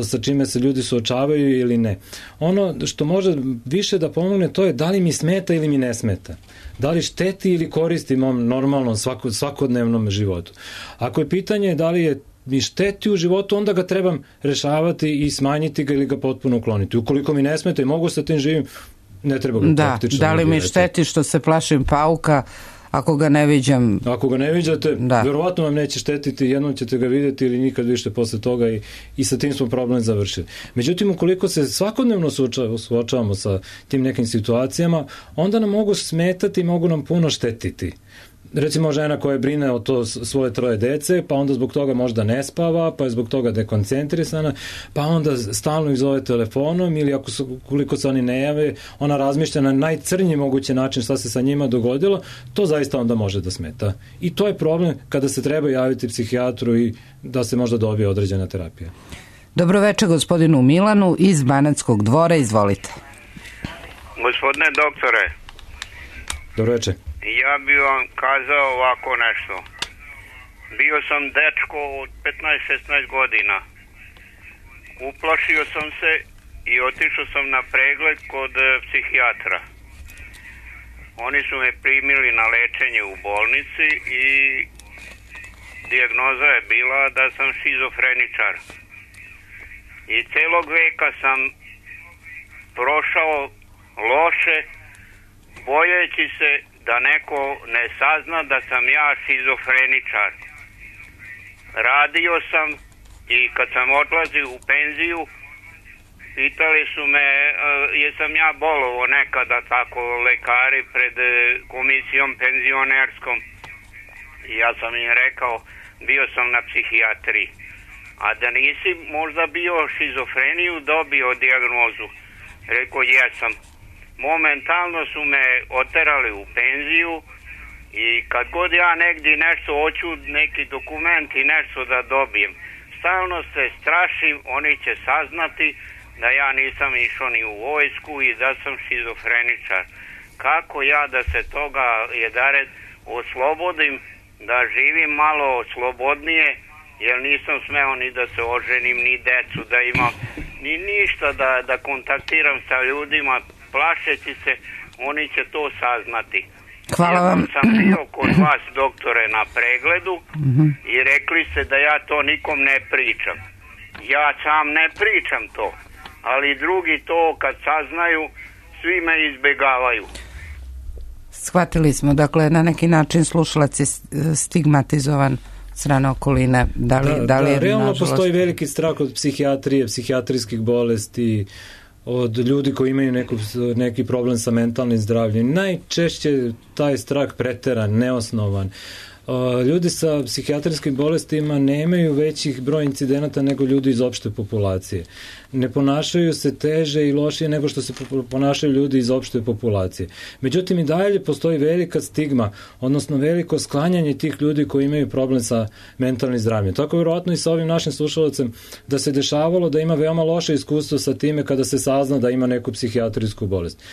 sa čime se ljudi suočavaju ili ne. Ono što može više da pomogne to je da li mi smeta ili mi ne smeta. Da li šteti ili koristi mom normalnom svako, svakodnevnom životu. Ako je pitanje da li je mi šteti u životu, onda ga trebam rešavati i smanjiti ga ili ga potpuno ukloniti. Ukoliko mi ne smeta i mogu sa tim živim, ne treba ga da, praktično. Da li mi šteti što se plašim pauka, ako ga ne viđam? Ako ga ne viđate, da. Verovatno vam neće štetiti, jednom ćete ga vidjeti ili nikad više posle toga i, i sa tim smo problem završili. Međutim, ukoliko se svakodnevno suočavamo sa tim nekim situacijama, onda nam mogu smetati i mogu nam puno štetiti. Recimo žena koja brine o to svoje troje dece, pa onda zbog toga možda ne spava, pa je zbog toga dekoncentrisana, pa onda stalno ih zove telefonom ili ako su, koliko se oni ne jave, ona razmišlja na najcrnji mogući način šta se sa njima dogodilo, to zaista onda može da smeta. I to je problem kada se treba javiti psihijatru i da se možda dobije određena terapija. Dobro večer gospodinu Milanu iz Banatskog dvora, izvolite. Gospodine doktore. Dobro večer. Ja bih vam kazao ovako nešto. Bio sam dečko od petnaest šesnaest godina. Uplašio sam se i otišao sam na pregled kod psihijatra. Oni su me primili na lečenje u bolnici i dijagnoza je bila da sam šizofreničar. I celog veka sam prošao loše, bojeći se da neko ne sazna da sam ja šizofreničar. Radio sam i kad sam odlazio u penziju, pitali su me jesam ja bolovo nekada tako lekari pred komisijom penzionerskom. I ja sam im rekao, bio sam na psihijatriji. A da nisi možda bio šizofreniju dobio dijagnozu. Rekao, jesam. Momentalno su me oterali u penziju i kad god ja negdje nešto hoću, neki dokument i nešto da dobijem, stalno se strašim, oni će saznati da ja nisam išao ni u vojsku i da sam šizofreničar. Kako ja da se toga jedared oslobodim, da živim malo slobodnije, jer nisam smeo ni da se oženim, ni decu da imam, ni ništa da, da kontaktiram sa ljudima, plašeći se, oni će to saznati. Hvala vam. Ja sam bio kod vas, doktore, na pregledu Mhm. i rekli ste da ja to nikom ne pričam. Ja sam ne pričam to, ali drugi to kad saznaju, svi me izbegavaju. Shvatili smo, dakle, na neki način slušalac je stigmatizovan od strane okoline. Da li, da, Da, li je, da, realno nažalost- postoji veliki strah od psihijatrije, psihijatrijskih bolesti, od ljudi koji imaju neku, neki problem sa mentalnim zdravljem. Najčešće taj strah preteran, neosnovan. Uh, Ljudi sa psihijatrijskim bolestima nemaju većih broj incidenata nego ljudi iz opšte populacije. Ne ponašaju se teže i lošije nego što se po- ponašaju ljudi iz opšte populacije. Međutim, i dalje postoji velika stigma, odnosno veliko sklanjanje tih ljudi koji imaju problem sa mentalnim zdravljem. Tako vjerojatno i sa ovim našim slušalcem da se dešavalo da ima veoma loše iskustvo sa time kada se sazna da ima neku psihijatrijsku bolest.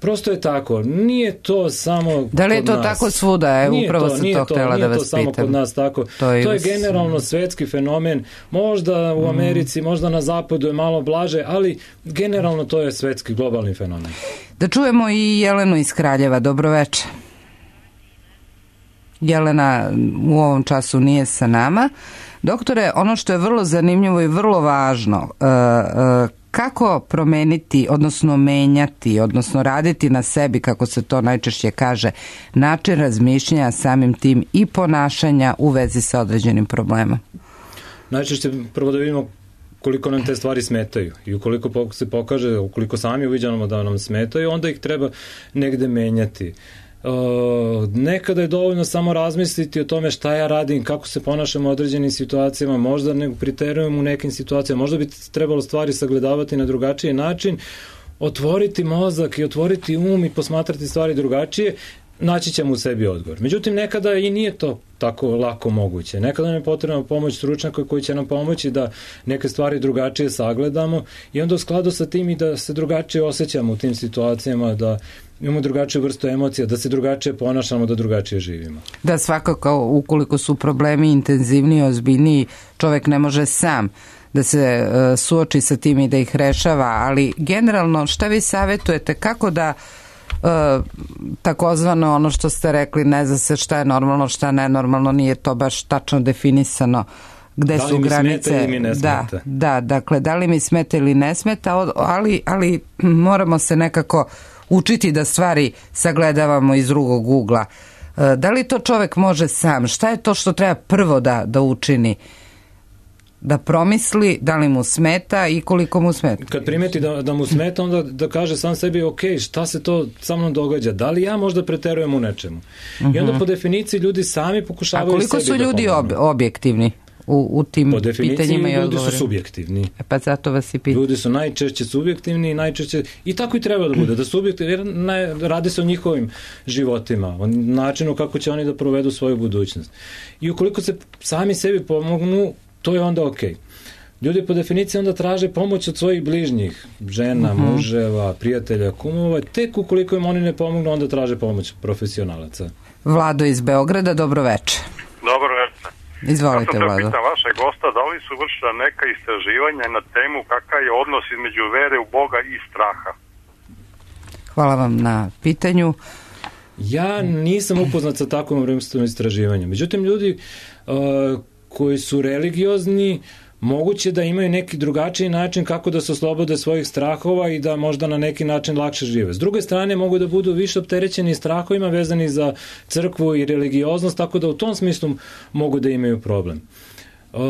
Prosto je tako, nije to samo Da li je kod to nas. tako svuda? E, Nije upravo to, sam nije to to, htjela nije da to vas samo pitam. kod nas tako. To To je je, us- generalno svetski fenomen. Možda u Americi, možda na zapadu je malo blaže, ali generalno to je svetski globalni fenomen. Da čujemo i Jelenu iz Kraljeva. Dobro večer. Jelena u ovom času nije sa nama. Doktore, ono što je vrlo zanimljivo i vrlo važno, uh, uh, kako promeniti, odnosno menjati, odnosno raditi na sebi, kako se to najčešće kaže, način razmišljanja, samim tim i ponašanja u vezi sa određenim problemom? Najčešće prvo da vidimo koliko nam te stvari smetaju i ukoliko pok- se pokaže, ukoliko sami uviđamo da nam smetaju, onda ih treba negde menjati. Uh, nekada je dovoljno samo razmisliti o tome šta ja radim, kako se ponašam u određenim situacijama, možda ne priterujem u nekim situacijama, možda bi trebalo stvari sagledavati na drugačiji način, otvoriti mozak i otvoriti um i posmatrati stvari drugačije, naći ćemo u sebi odgovor. Međutim, nekada i nije to tako lako moguće. Nekada nam je potrebna pomoć stručnjaka koji će nam pomoći da neke stvari drugačije sagledamo i onda u skladu sa tim i da se drugačije osjećamo u tim situacijama, da imamo drugačiju vrstu emocija, da se drugačije ponašamo, da drugačije živimo. Da, svakako, ukoliko su problemi intenzivniji, ozbiljniji, čovjek ne može sam da se uh, suoči sa tim i da ih rešava, ali generalno šta vi savjetujete, kako da uh, takozvano ono što ste rekli, ne zna se šta je normalno, šta nenormalno, nije to baš tačno definisano, gde Da li su mi granice. smeta ili mi ne da, smeta? da, dakle, da li mi smeta ili ne smeta, od- ali, ali moramo se nekako učiti da stvari sagledavamo iz drugog ugla. E, Da li to čovjek može sam? Šta je to što treba prvo da, da učini? Da promisli da li mu smeta i koliko mu smeta? Kad primeti da, da mu smeta, onda da kaže sam sebi, ok, šta se to sa mnom događa? Da li ja možda preterujem u nečemu? I onda Mhm. po definiciji ljudi sami A pokušavaju koliko sebi su da ljudi ob, pomognu. objektivni u, u tim Po definiciji pitanjima i ljudi odgovorima? su subjektivni. E pa zato vas i pitam. Ljudi su najčešće subjektivni i najčešće, i tako i treba da bude, da subjektivni, jer ne, radi se o njihovim životima, o načinu kako će oni da provedu svoju budućnost. I ukoliko se sami sebi pomognu, to je onda okej. Ljudi po definiciji onda traže pomoć od svojih bližnjih, žena, Mhm. muževa, prijatelja, kumova, tek ukoliko im oni ne pomognu, onda traže pomoć profesionalaca. Vlado iz Beograda, dobro večer. Dobro večer. Izvolite, Ja sam da Vlado. pitam vašeg gosta da li su vršila neka istraživanja na temu kakav je odnos između vere u Boga i straha. Hvala vam na pitanju. Ja nisam upoznat sa takvom vrstom istraživanja. Međutim, ljudi uh, koji su religiozni, moguće da imaju neki drugačiji način kako da se oslobode svojih strahova i da možda na neki način lakše žive. S druge strane, mogu da budu više opterećeni strahovima vezani za crkvu i religioznost, tako da u tom smislu mogu da imaju problem. Uh,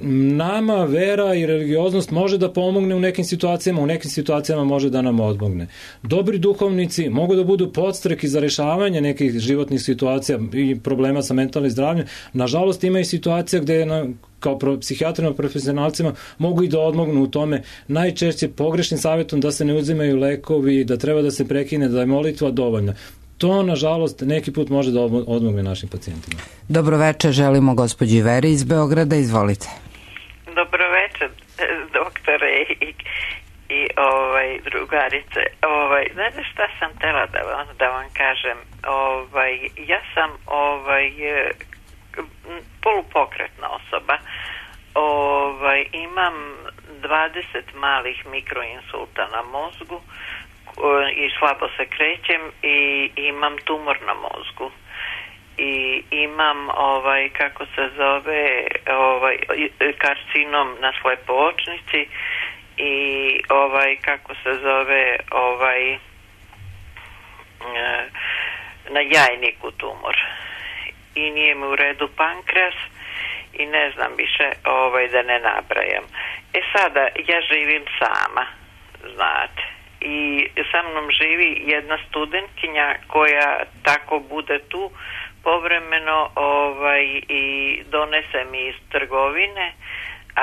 nama vera i religioznost može da pomogne u nekim situacijama, u nekim situacijama može da nam odmogne. Dobri duhovnici mogu da budu podstrek za rešavanje nekih životnih situacija i problema sa mentalnim zdravljem. Nažalost, ima i situacija gde na, kao psihijatrima, profesionalcima mogu i da odmognu u tome. Najčešće pogrešnim savjetom da se ne uzimaju lekovi, da treba da se prekine, da je molitva dovoljna. To, nažalost, neki put može da odmogne našim pacijentima. Dobroveče, želimo gospođi Veri iz Beograda, izvolite. Dobroveče, doktore i, i ovaj, drugarice. Ovaj, znate šta sam tela da vam, da vam kažem? Ovaj, ja sam ovaj, polupokretna osoba. Ovaj, imam dvadeset malih mikroinsulta na mozgu i slabo se krećem i imam tumor na mozgu. I imam ovaj kako se zove ovaj karcinom na slepočnici i ovaj kako se zove ovaj na jajniku tumor i nije mi u redu pankreas i ne znam više ovaj da ne nabrajam. E sada ja živim sama, znate, i sa mnom živi jedna studentkinja koja tako bude tu povremeno ovaj i donese mi iz trgovine,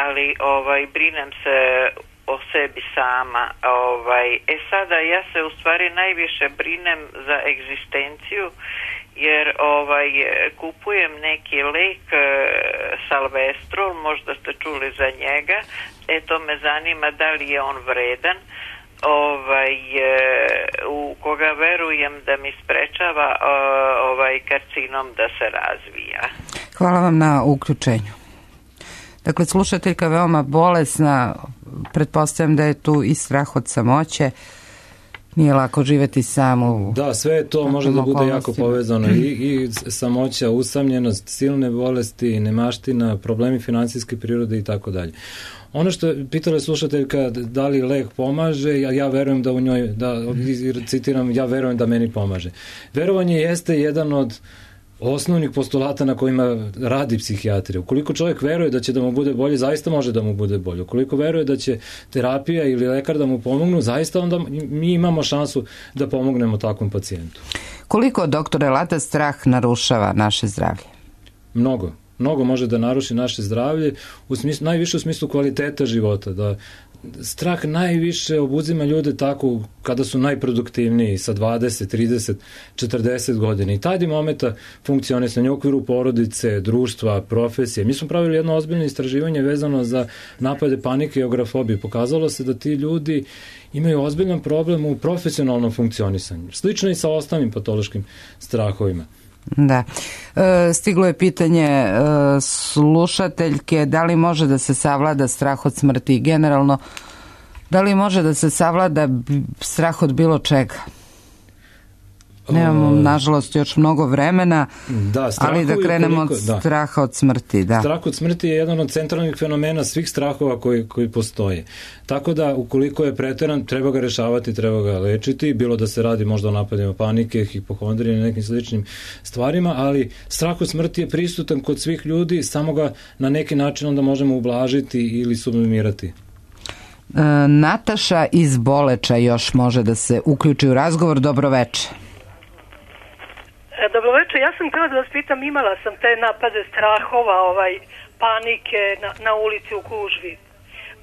ali ovaj brinem se o sebi sama. Ovaj e sada ja se u stvari najviše brinem za egzistenciju jer ovaj kupujem neki lek Salvestrol, možda ste čuli za njega. E to me zanima da li je on vredan. Ovaj, u koga verujem da mi sprečava ovaj karcinom da se razvija. Hvala vam na uključenju. Dakle, slušateljka veoma bolesna, pretpostavljam da je tu i strah od samoće, nije lako živeti sam u... Da, sve to može da bude jako povezano i, i samoća, usamljenost, silne bolesti, nemaština, problemi finansijske prirode i tako dalje. Ono što je pitala slušateljka da li lek pomaže, ja, ja verujem da u njoj, da, citiram, ja verujem da meni pomaže. Verovanje jeste jedan od osnovnih postulata na kojima radi psihijatrija. Ukoliko čovjek veruje da će da mu bude bolje, zaista može da mu bude bolje. Ukoliko veruje da će terapija ili lekar da mu pomognu, zaista onda mi imamo šansu da pomognemo takvom pacijentu. Koliko, doktore Lata, strah narušava naše zdravlje? Mnogo. Mnogo može da naruši naše zdravlje, u smislu, najviše u smislu kvaliteta života, da strah najviše obuzima ljude tako kada su najproduktivniji sa dvadeset, trideset, četrdeset godina i tada momenta funkcionisanja u okviru porodice, društva, profesije. Mi smo pravili jedno ozbiljno istraživanje vezano za napade panike i agrofobije. Pokazalo se da ti ljudi imaju ozbiljan problem u profesionalnom funkcionisanju. Slično i sa ostalim patološkim strahovima. Da. E, stiglo je pitanje e, slušateljke da li može da se savlada strah od smrti i generalno da li može da se savlada strah od bilo čega. Nemamo, nažalost, još mnogo vremena, da, ali da krenemo koliko, od straha da. od smrti. Da. Strah od smrti je jedan od centralnih fenomena svih strahova koji, koji postoje. Tako da, ukoliko je preteran, treba ga rešavati, treba ga lečiti, bilo da se radi možda o napadima panike, hipohondrije, nekim sličnim stvarima, ali strah od smrti je prisutan kod svih ljudi, samo ga na neki način onda možemo ublažiti ili sublimirati. E, Nataša iz Boleča još može da se uključi u razgovor. Dobroveče. Dobroveče, ja sam htjela da vas pitam, imala sam te napade strahova, ovaj, panike na, na ulici u gužvi,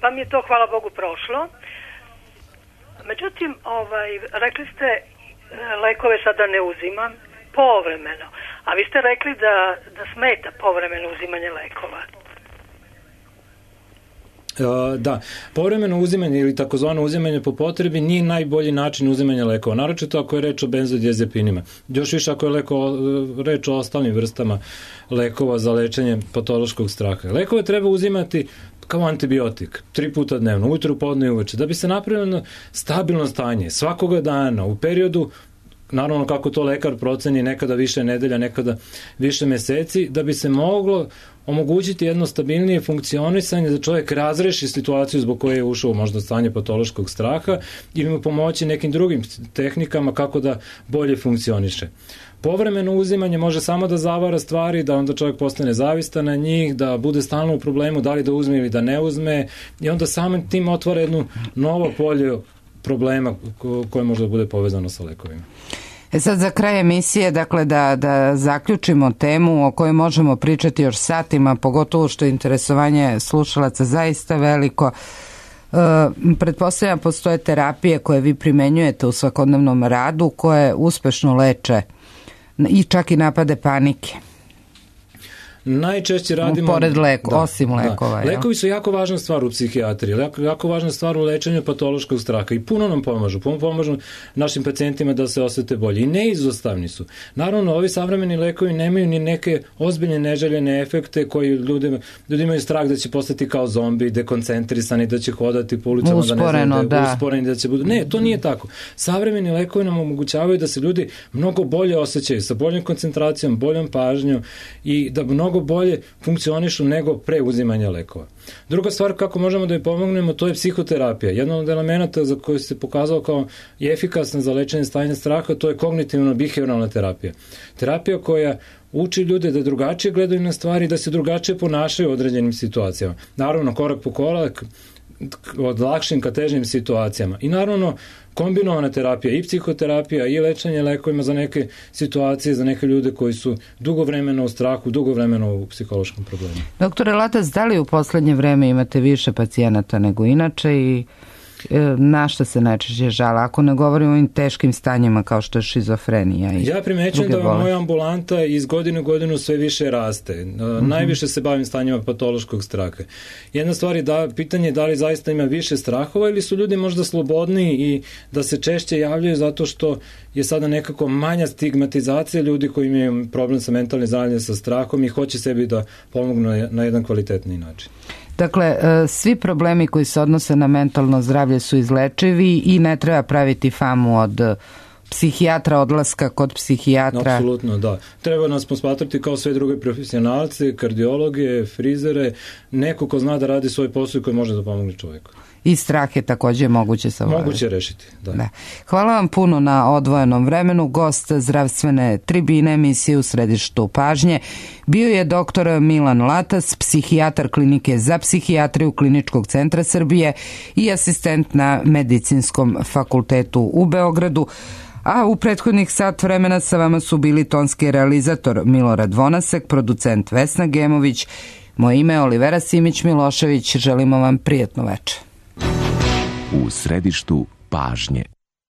pa mi je to, hvala Bogu, prošlo. Međutim, ovaj, rekli ste lekove sada ne uzimam povremeno, a vi ste rekli da, da smeta povremeno uzimanje lekova. Da, povremeno uzimanje ili takozvano uzimanje po potrebi nije najbolji način uzimanja lekova, naročito ako je reč o benzodiazepinima. Još više ako je leko, reč o ostalim vrstama lekova za lečenje patološkog straha. Lekove treba uzimati kao antibiotik, tri puta dnevno, ujutru, podne i uveče, da bi se napravilo stabilno stanje svakoga dana u periodu, naravno kako to lekar proceni, nekada više nedelja, nekada više meseci, da bi se moglo omogućiti jedno stabilnije funkcionisanje, da čovjek razreši situaciju zbog koje je ušao možda stanje patološkog straha ili mu pomoći nekim drugim tehnikama kako da bolje funkcioniše. Povremeno uzimanje može samo da zavara stvari, da onda čovjek postane zavistan na njih, da bude stalno u problemu da li da uzme ili da ne uzme i onda samim tim otvara jedno novo polje problema koje može da bude povezano sa lekovima. E sad za kraj emisije, dakle da, da zaključimo temu o kojoj možemo pričati još satima, pogotovo što je interesovanje slušalaca zaista veliko. E, pretpostavljam postoje terapije koje vi primenjujete u svakodnevnom radu koje uspešno leče i čak i napade panike. Najčešće radimo... Pored leko, da, osim lekova. Da. Lekovi su jako važna stvar u psihijatriji, jako, jako važna stvar u lečenju patološkog straha i puno nam pomažu, puno pomažu našim pacijentima da se osete bolje i neizostavni su. Naravno, ovi savremeni lekovi nemaju ni neke ozbiljne neželjene efekte koji ljudima, ljudi imaju strah da će postati kao zombi, dekoncentrisani, da će hodati po ulicama, usporeno, da ne znaju, da. usporeni, da će budu... Ne, to nije tako. Savremeni lekovi nam omogućavaju da se ljudi mnogo bolje osjećaju, sa boljom koncentracijom, boljom pažnjom i da mnogo bolje funkcionišu nego pre uzimanja lekova. Druga stvar kako možemo da je pomognemo, to je psihoterapija. Jedan od elemenata za koju se pokazao kao efikasna za lečenje stanja straha, to je kognitivno-behavioralna terapija. Terapija koja uči ljude da drugačije gledaju na stvari, da se drugačije ponašaju u određenim situacijama. Naravno, korak po korak, od lakšim ka težim situacijama. I naravno, kombinovana terapija i psihoterapija i lečenje lekovima za neke situacije, za neke ljude koji su dugo vremena u strahu, dugo vremena u psihološkom problemu. Doktore Latac, da li u poslednje vreme imate više pacijenata nego inače i na šta se najčešće žale, ako ne govorimo o ovim teškim stanjima kao što je šizofrenija i ja primećujem da moja ambulanta iz godine u godinu sve više raste. Mm-hmm. Najviše se bavim stanjima patološkog straha. Jedna stvar je da, pitanje je da li zaista ima više strahova ili su ljudi možda slobodniji i da se češće javljaju zato što je sada nekako manja stigmatizacija ljudi koji imaju problem sa mentalnim zdravljem, sa strahom i hoće sebi da pomognu na jedan kvalitetni način. Dakle, svi problemi koji se odnose na mentalno zdravlje su izlečivi i ne treba praviti famu od psihijatra, odlaska kod psihijatra. Apsolutno, da. Treba nas posmatrati kao sve druge profesionalce, kardiologe, frizere, neko ko zna da radi svoj posao i koji može da pomogne čovjeku. I strah je također moguće savladati. Moguće rešiti, da. da. Hvala vam puno na odvojenom vremenu. Gost zdravstvene tribine emisije U središtu pažnje bio je doktor Milan Latac, psihijatar klinike za psihijatriju Kliničkog centra Srbije i asistent na Medicinskom fakultetu u Beogradu. A u prethodnih sat vremena sa vama su bili tonski realizator Milorad Vonasek, producent Vesna Gemović. Moje ime je Olivera Simić-Milošević. Želimo vam prijatno večer. U središtu pažnje.